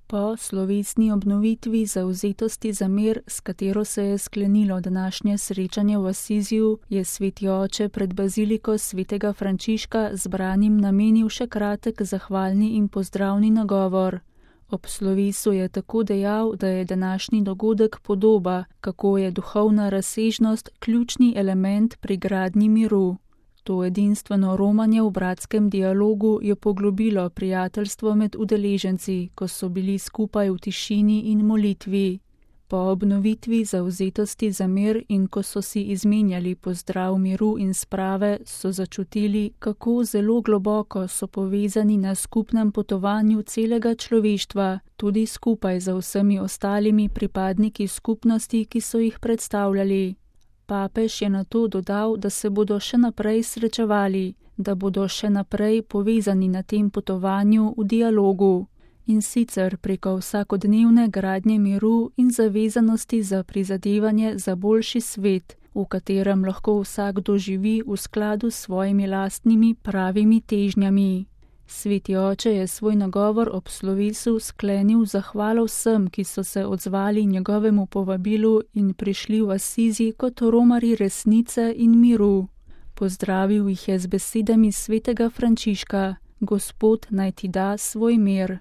Po slovesni obnovitvi zavzetosti za mir, s katero se je sklenilo današnje srečanje v Asiziju, je sveti oče pred baziliko svetega Frančiška zbranim namenil še kratek zahvalni in pozdravni nagovor. Ob slovesu je tako dejal, da je današnji dogodek podoba, kako je duhovna razsežnost ključni element pri gradnji miru. To edinstveno romanje v bratskem dialogu je poglobilo prijateljstvo med udeleženci, ko so bili skupaj v tišini in molitvi. Po obnovitvi zavzetosti za mir in ko so si izmenjali pozdrav miru in sprave, so začutili, kako zelo globoko so povezani na skupnem potovanju celega človeštva, tudi skupaj z vsemi ostalimi pripadniki skupnosti, ki so jih predstavljali. Papež je nato dodal, da se bodo še naprej srečevali, da bodo še naprej povezani na tem potovanju v dialogu. In sicer preko vsakodnevne gradnje miru in zavezanosti za prizadevanje za boljši svet, v katerem lahko vsakdo živi v skladu s svojimi lastnimi pravimi težnjami. Sveti oče je svoj nagovor ob slovesu sklenil zahvalo vsem, ki so se odzvali njegovemu povabilu in prišli v Asizi kot romarji resnice in miru. Pozdravil jih je z besedami svetega Frančiška: Gospod naj ti da svoj mir.